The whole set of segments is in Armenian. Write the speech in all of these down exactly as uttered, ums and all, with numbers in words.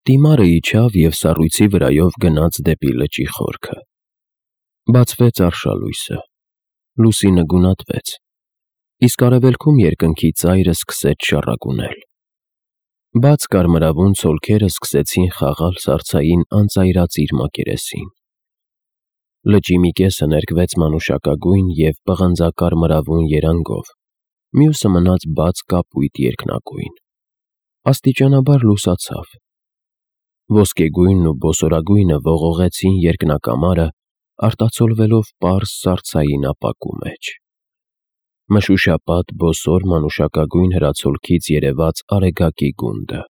Տիմարը իջավ և սառույցի վրայով գնաց դեպի լճի խորքը։ Բացվեց արշալույսը, լուսինը գունատվեց, իսկ արևելքում երկնքի ծայրը սկսեց շառագունել։ Բաց կարմրավուն ցոլքերը սկսեցին խաղալ սառցային անծայրածիր մակերեսին։ Լճի մի կեսը ներկվեց մանուշակագույն և պղնձակարմրավուն երանգով, մյուսը մնաց բաց կապույտ երկնագույն։ Աստիճանաբար լուսացավ։ Ոսկեգույնն ու բոսորագույնը ողողեցին երկնակամարը, արտացոլվելով պարզ սառցային ապակու մեջ։ Մշուշապատ բոսոր մանուշակագույն հրացոլքից երևաց Արեգակի գունդը,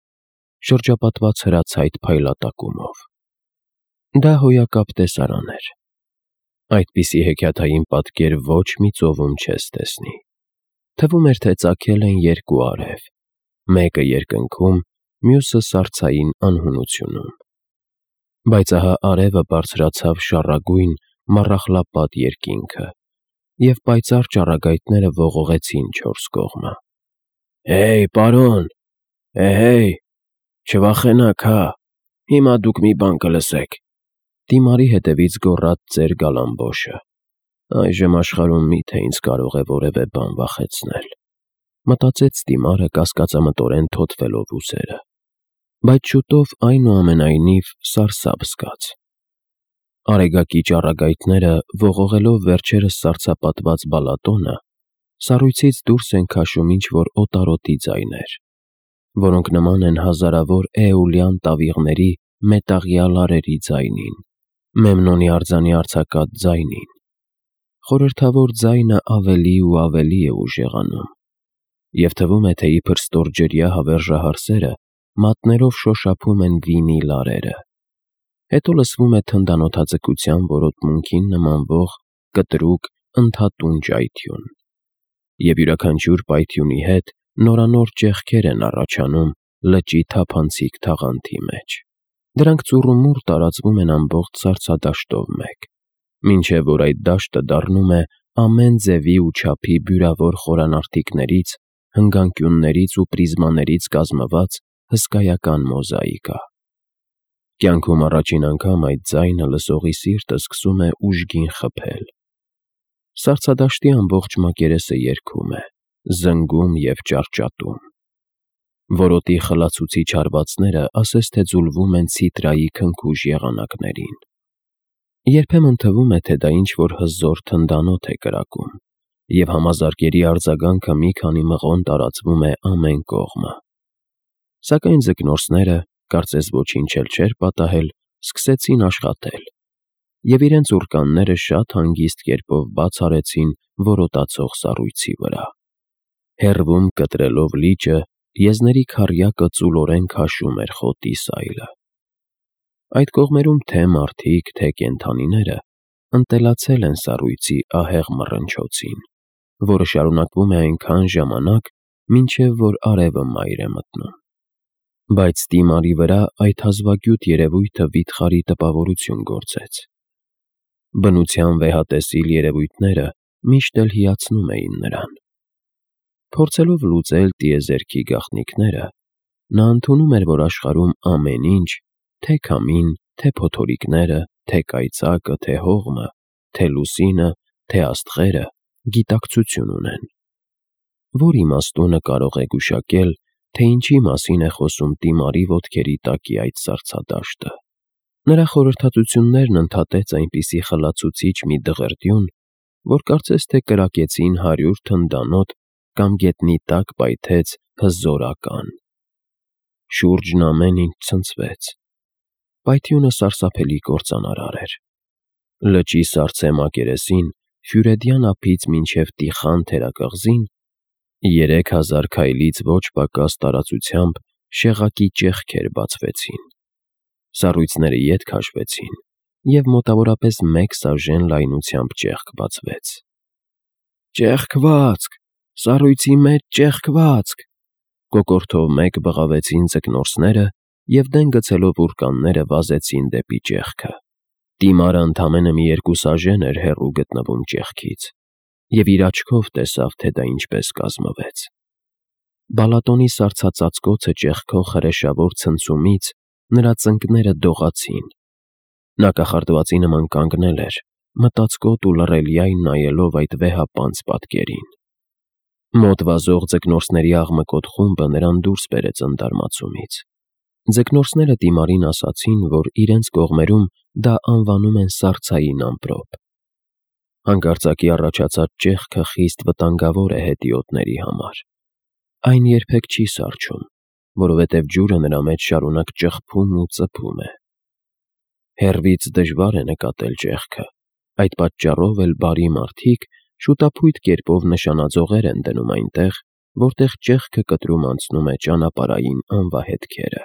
շրջապատված հրացայտ փայլատակումով։ Դա հոյակապ տեսարան էր։ Այդպիսի հեքիաթային պատկեր ոչ մի ծովում չես տեսնի։ Թվում էր, թե ծագել են երկու արև, մեկը երկնքում, մյուսը սառցային անհունությունում։ Բայց ահա արևը բարձրացավ շառագույն, մառախլապատ երկինքը, և պայծառ ճառագայթները ողողեցին չորս կողմը։ «Հեյ, պարոն, էհեյ, չվախենաք, հա, հիմա դուք մի բան կլսեք», Տիմարի հետևից գոռաց ծեր Գալամբոշը։ «Այժմ աշխարհում մի՞թե ինձ կարող է որևէ բան վախեցնել», մտածեց Տիմարը, կասկածամտորեն թոթվելով ուսերը։ Բայց շուտով, այնուամենայնիվ, սարսափ զգաց։ Արեգակի ճառագայթները, ողողելով վերջերս սառցապատված բալատոնը, սառույցից դուրս են քաշում ինչ-որ օտարոտի ձայներ, որոնք նման են հազարավոր էոլյան տավիղների մետաղյա լարերի ձայնին, Մեմնոնի արձանի արձակած ձայնին։ Խորհրդավոր ձայնը ավելի ու ավելի է ուժեղանում, և թվում է, թե իբր ստորջրյա հավերժահար սերը մատներով շոշափում են վինի լարերը։ Հետո լսվում է թնդանոթաձգության որոտմունքին նմանվող կտրուկ, ընդհատուն ճայթյուն, և յուրաքանչյուր պայթյունի հետ նորանոր ճեղքեր են առաջանում լճի թափանցիկ թաղանթի մեջ։ Դրանք ծուռումուռ տարածվում են ամբողջ սառցադաշտով մեկ, մինչև որ այդ դաշտը դառնում է ամեն ձևի ու չափի բյուրավոր խորանարդիքներից, հնգանկյուններից ու պրիզմաներից կազմված հսկայական մոզաիկա։ Կյանքում առաջին անգամ այդ ձայնը լսողի սիրտը սկսում է ուժգին խփել։ Սառցադաշտի ամբողջ մակերեսը երգում է, զնգում և ճահճատում։ Որոտի խլացուցիչ հարվածները ասես թե ձուլվում են ցիտրայի քնքուշ եղանակներին։ Երբեմն թվում է, թե դա ինչ-որ հզոր թնդանոթ է կրակում, և համազարկերի արձագանքը մի քանի մղոն տարածվում է ամեն կողմը։ Սակայն ձկնորսները, կարծես ոչինչ էլ չէր պատահել, սկսեցին աշխատել, և իրենց ուռկանները շատ հանգիստ կերպով բաց արեցին որոտացող սառույցի վրա։ Հեռվում, կտրելով լիճը, եզների քառյակը ծուլորեն քաշում էր խոտի սայլը։ Այդ կողմերում թե՛ մարդիկ, թե՛ կենդանիները ընտելացել են սառույցի ահեղ մռնչոցին, որը շարունակվում է այնքան ժամանակ, մինչև որ արևը մայր է մտնում։ Բայց Տիմարի վրա այդ հազվագյուտ երևույթը վիթխարի տպավորություն գործեց։ Բնության վեհատեսիլ երևույթները միշտ էլ հիացնում էին նրան։ Փորձելով լուծել տիեզերքի գաղտնիքները, նա ընդունում էր, որ աշխարհում ամեն ինչ, թե՛ քամին, թե՛ փոթորիկները, թե՛ կայծակը, թե՛ հողմը, թե՛ լուսինը, թե՛ աստղերը, գիտակցություն ունեն։ Ո՞ր իմաստունը կարող է գուշակել, թե ինչի մասին է խոսում Տիմարի ոտքերի տակի այդ սառցադաշտը։ Նրա խորհրդատվություններն ընդհատեց այնպիսի խլացուցիչ մի դղրդյուն, որ կարծես թե կրակեցին հարյուր թնդանոթ կամ գետնի տակ պայթեց հզոր ական։ Շուրջն ամեն ինչ ցնցվեց։ Պայթյունը սարսափելի կործանարար էր։ Լճի սառցե մակերեսին, Ֆյուրեդյան ափից մինչև Տիխան թերակղզին, երեք հազար քայլից ոչ պակաս տարածությամբ շեղակի ճեղքեր բացվեցին։ Սառույցները ետ քաշվեցին, և մոտավորապես մեկ սաժեն լայնությամբ ճեղք բացվեց։ «Ճեղքվածք, սառույցի մեջ ճեղքվածք», կոկորդով մեկ բղավեցին ձկնորսները և դեն գցելով ուռկանները վազեցին դեպի ճեղքը։ Տիմարը ընդամենը մի երկու սաժեն էր հեռու գտնվում ճեղքից, և իր աչքով տեսավ, թե դա ինչպես կազմվեց։ Բալատոնի սառցածածկոցը ճեղքող հրեշավոր ցնցումից նրա ծնկները դողացին։ Նա կախարդվածի նման կանգնել էր, մտածկոտ ու լռելյայն նայելով այդ վեհապանծ պատկերին։ Մոտ վազող ձկնորսների աղմկոտ խումբը նրան դուրս բերեց ընդարմացումից։ Ձկնորսները Տիմարին ասացին, որ իրենց կողմերում դա անվանում են սառցային ամպրոպ։ Հանկարծակի առաջացած ճեղքը խիստ վտանգավոր է հետիոտների համար։ Այն երբեք չի սառչում, որովհետև ջուրը նրա մեջ շարունակ ճխփում ու ծփում է։ Հեռվից դժվար է նկատել ճեղքը, այդ պատճառով էլ բարի մարդիկ շուտափույթ կերպով նշանաձողեր են դնում այնտեղ, որտեղ ճեղքը կտրում անցնում է ճանապարհային անվահետքերը։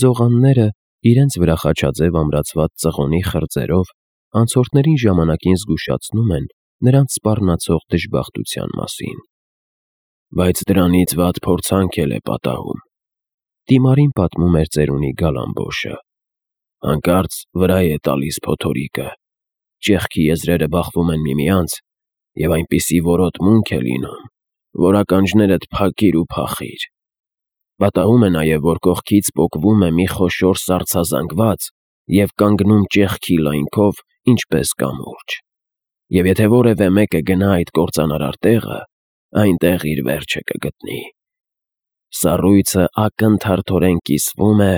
Ձողանները իրենց վրա խաչաձև ամրացված ծղոնի խրձերով անցորդներին ժամանակին զգուշացնում են նրանց սպառնացող դժբախտության մասին։ Բայց դրանից վատ փորձանք էլ է պատահում։ Տիմարին պատմում էր ծերունի Գալամբոշը։ Հանկարծ վրա է տալիս փոթորիկը, ճեղքի եզրերը բախվում են միմյանց, և այնպիսի որոտմունք է լինում, որ ականջներդ փակիր ու փախիր։ Պատահում է նաև, որ կողքից պոկվում է մի խոշոր սառցազանգված և կանգնում ճեղքի լայնքով, ինչպես կամուրջ։ Եվ եթե որևէ մեկը գնա այդ կործանարար տեղը, այնտեղ իր վերջը կգտնի։ Սառույցը ակնթարթորեն կիսվում է,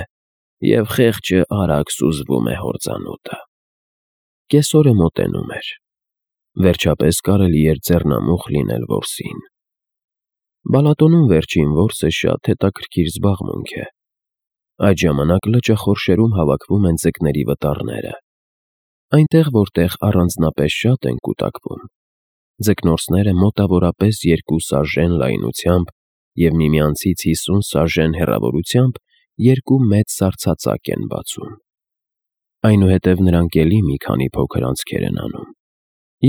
և խեղճը արագ սուզվում է հորձանուտը։ Կեսօրը մոտենում էր։ Վերջապես կարելի էր ձեռնամուխ լինել որսին։ Բալատոնում վերջին որսը շատ հետաքրքիր զբաղմունք է։ Այդ ժամանակ լճախորշերում հավաքվում են ձկների վտառները։ Այնտեղ, որտեղ առանձնապես շատ են կուտակվում, ձկնորսները մոտավորապես երկու սաժեն լայնությամբ և միմյանցից հիսուն սաժեն հեռավորությամբ երկու մեծ սառցածակ են բացում։ Այնուհետև նրանք էլի մի քանի փոքր անցքեր են անում,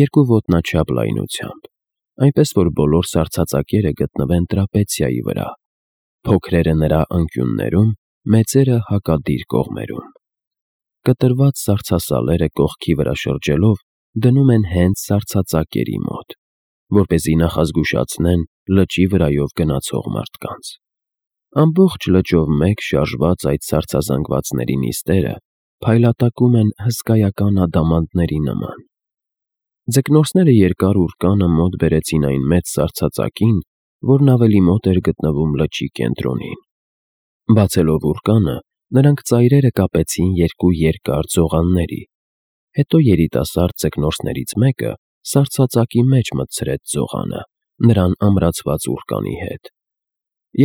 երկու ոտնաչափ լայնությամբ, այնպես որ բոլոր սառցածակերը գտնվեն տրապեցիայի վրա, փոքրերը նրա անկյուններում, մեծերը հակադիր կողմերում։ Կտրված սառցասալերը կողքի վրա շրջելով դնում են հենց սառցածակերի մոտ, որպեսզի նախազգուշացնեն լճի վրայով գնացող մարդկանց։ Ամբողջ լճով մեկ շարժված այդ սառցազանգվածների նիստերը փայլատակում են հսկայական ադամանդների նման։ Ձկնորսները երկար ուռկանը մոտ բերեցին այն մեծ սառցածակին, որն ավելի մոտ էր գտնվում լճի կենտրոնին։ Բացելով ուռկանը, նրանք ծայրերը կապեցին երկու երկար ձողանների, հետո երիտասարդ ձկնորսներից մեկը սառցածակի մեջ մտցրեց ձողանը, նրան ամրացված ուռկանի հետ,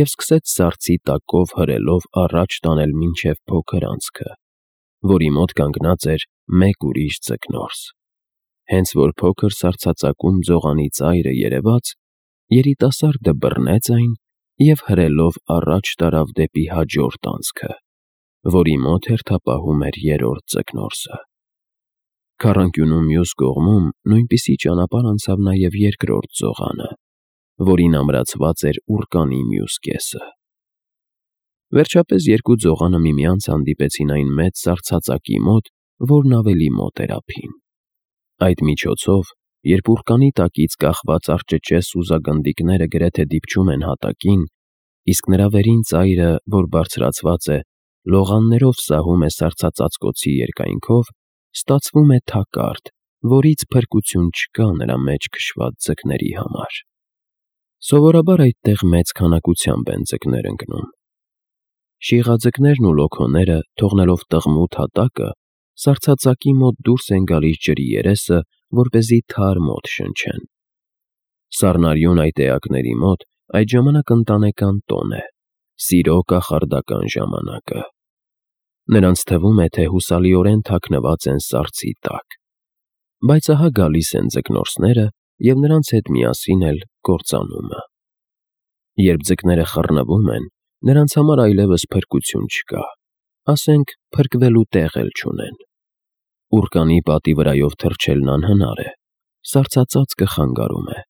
և սկսեց սառցի տակով հրելով առաջ տանել մինչև փոքր անցքը, որի մոտ կանգնած էր մեկ ուրիշ ձկնորս։ Հենց որ փոքր սառցածակում ձողանի ծայրը երևաց, երիտասարդը բռնեց այն և հրելով առաջ տարավ դեպի հաջորդ անցքը, որի մոտ հերթապահում էր երրորդ ձկնորսը։ Քառանկյունու մյուս կողմում նույնպիսի ճանապարհ անցավ նաև երկրորդ ձողանը, որին ամրացված էր ուռկանի մյուս կեսը։ Վերջապես երկու ձողանը միմյանց հանդիպեցին այն մեծ սառցածակի մոտ, որն ավելի մոտ էր ափին։ Այդ միջոցով, երբ ուռկանի տակից կախված արճճե սուզագնդիկները գրեթե դիպչում են հատակին, իսկ նրա վերին ծայրը, որ բարձրացված է, լողաններով սահում է սառցածածկոցի երկայնքով, ստացվում է թակարդ, որից փրկություն չկա նրա մեջ քշված ձկների համար։ Սովորաբար այդտեղ մեծ քանակությամբ են ձկներ ընկնում։ Շիղաձկներն ու լոքոները, թողնելով տղմութ հատակը, սառցածակի մոտ դուրս են գալիս ջրի երեսը, որպեսզի թարմ օդ շնչեն։ Սառնարյուն այդ էակների մոտ այդ ժամանակ ընտանեկան տոն է, սիրո կախարդական ժամանակը։ Նրանց թվում է, թե հուսալիորեն թաքնված են սառցի տակ։ Բայց ահա գալիս են ձկնորսները և նրանց հետ միասին էլ կործանումը։ Երբ ձկները խռնվում են, նրանց համար այլևս փրկություն չկա, ասենք փրկվելու տեղ էլ չունեն։ Ուռկանի պատի վրայով թռչելն անհնար է, սառցածածկը խանգարում է։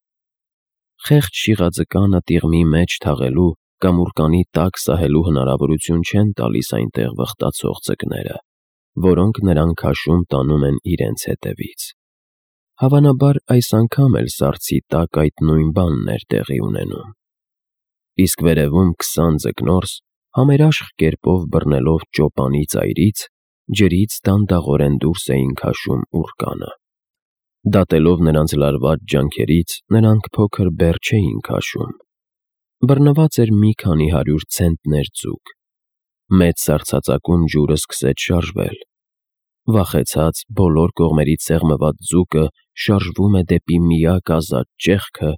Խեղճ շիղաձկանը տիղմի մեջ թաղելու կամ ուռկանի տակ սահելու հնարավորություն չեն տալիս այնտեղ վխտացող ձկները, որոնք նրան քաշում տանում են իրենց հետևից։ Հավանաբար այս անգամ էլ սառցի տակ այդ նույն բանն էր տեղի ունենում։ Իսկ վերևում քսան ձկնորս համերաշխ կերպով բռնելով ճոպանի ծայրից, ջրից դանդաղորեն դուրս էին քաշում ուռկանը։ Դատելով նրանց լարված ջանքերից, նրանք փոքր բեռ չէին քաշում։ Բռնված էր մի քանի հարյուր ցենտներ ձուկ։ Մեծ սառցածակում ջուրը սկսեց շարժվել։ Վախեցած, բոլոր կողմերից սեղմված ձուկը շարժվում է դեպի միակ ազատ ճեղքը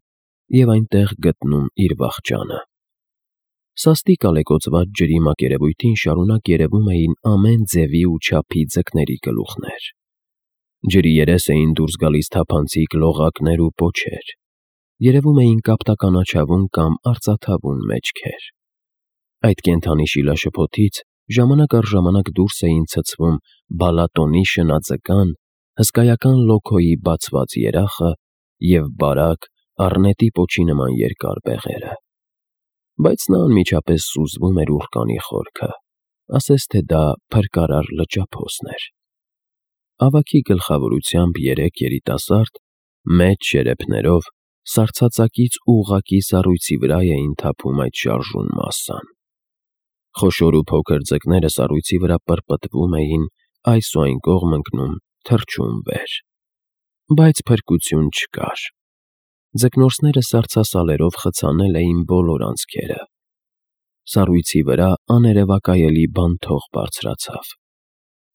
և այնտեղ գտնում իր վախճանը։ Սաստիկ ալեկոծված ջրի մակերևույթին շարունակ երևում էին ամեն ձևի ու չափի ձկների գլուխներ։ Ջրի երես էին դուրս գալիս թափանցիկ լողակներ ու պոչեր։ Երևում էին կապտականաչավուն կամ արծաթավուն մեջքեր։ Այդ կենդանի շիլաշփոթից ժամանակ առ ժամանակ դուրս էին ցցվում բալատոնի շնաձկան, հսկայական լոքոյի բացված երախը և բարակ, առնետի պոչի նման երկար բեղերը։ Բայց նա անմիջապես սուզվում էր ուռկանի խորքը, ասես թե դա փրկարար լճափոսն էր։ Ավագի գլխավորությամբ երեք երիտասարդ, մեծ շերեփներով, սառցածակից ուղղակի սառույցի վրա էին թափում այդ շարժուն մասսան։ Խոշոր ու փոքր ձկները սառույցի վրա պրպտվում էին, այս ու այն կողմ ընկնում, թռչում վեր։ Բայց փրկություն չկար։ Ձկնորսները սառցասալերով խցանել էին բոլոր անցքերը։ Սառույցի վրա աներևակայելի բանթող բարձրացավ։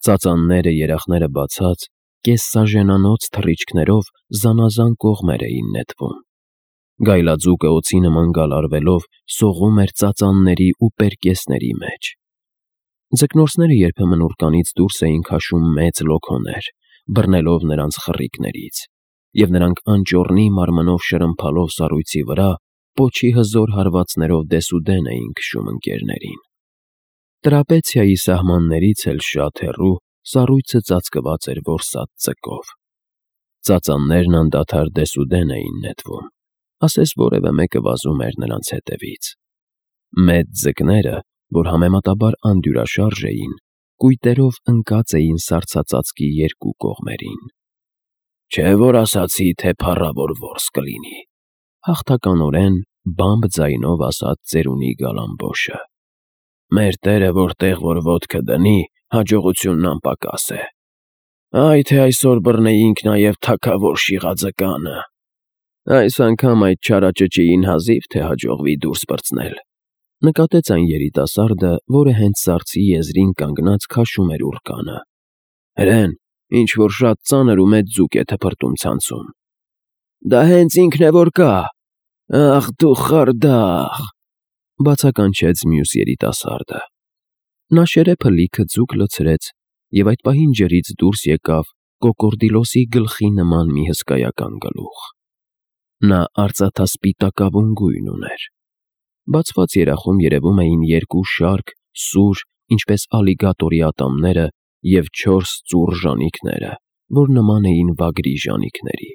Ծածանները, երախները բացած, կեսսաժենանոց թռիչքներով զանազան կողմեր էին նետվում։ Գայլաձուկը օձի նման գալարվելով սողում էր ծածանների ու պերկեսների մեջ։ Ձկնորսները երբեմն ուռկանից դուրս էին քաշում մեծ լոքոներ, բռնելով նրանց խռիկներից, և նրանք անճոռնի մարմնով շրմփալով սառույցի վրա, պոչի հզոր հարվածներով դեսուդեն էին քշում ընկերներին։ Տրապեցիայի սահմաններից էլ շատ հեռու սառույցը ծածկված էր որսած ձկով։ Ծածաններն անդադար դեսուդեն էին նետվում, ասես որևէ մեկը վազում էր նրանց հետևից։ Մեծ ձկները, որ համեմատաբար անդյուրաշարժ էին, կույտերով ընկած էին սառցածածկի երկու կողմերին։ «Չէ՞ որ ասացի, թե փառավոր որս կլինի», հաղթականորեն բամբ ձայնով ասաց ծերունի Գալամբոշը։ «Մեր տերը որտեղ որ ոտքը դնի, հաջողությունն անպակաս է։ Այ թե այսօր բռնեինք նաև թագավոր շիղաձկանը։ Այս անգամ այդ չարաճճիին հազիվ թե հաջողվի դուրս պրծնել», նկատեց այն երիտասարդը, որը հենց սառցի եզրին կանգնած քաշում էր ուռկանը։ «Հրեն, ինչ-որ շատ ծանր ու մեծ ձուկ է թփրտում ցանցում»։ «Դա հենց ինքն է որ կա… Ախ դու խարդախ…», բացականչեց մյուս երիտասարդը։ Նա շերեփը լիքը ձուկ լցրեց, և այդ պահին ջրից դուրս եկավ կոկորդիլոսի գլխի նման մի հսկայական գլուխ։ Նա արծաթասպիտակավուն գույն ուներ։ Բացված երախում երևում էին երկու շարք, սուր, ինչպես ալիգատորի ատամները, և չորս ծուռ ժանիքները, որ նման էին վագրի ժանիքների։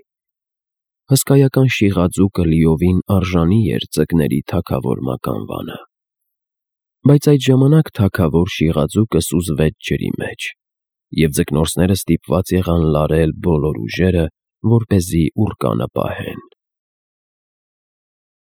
Հսկայական շիղաձուկը լիովին արժանի էր ձկների թագավոր մականվանը։ Բայց այդ ժամանակ թագավոր շիղաձուկը սուզվեց ջրի մեջ, և ձկնորսները ստիպված եղան լարել բոլոր ուժերը, որպեսզի ուռկանը պահեն։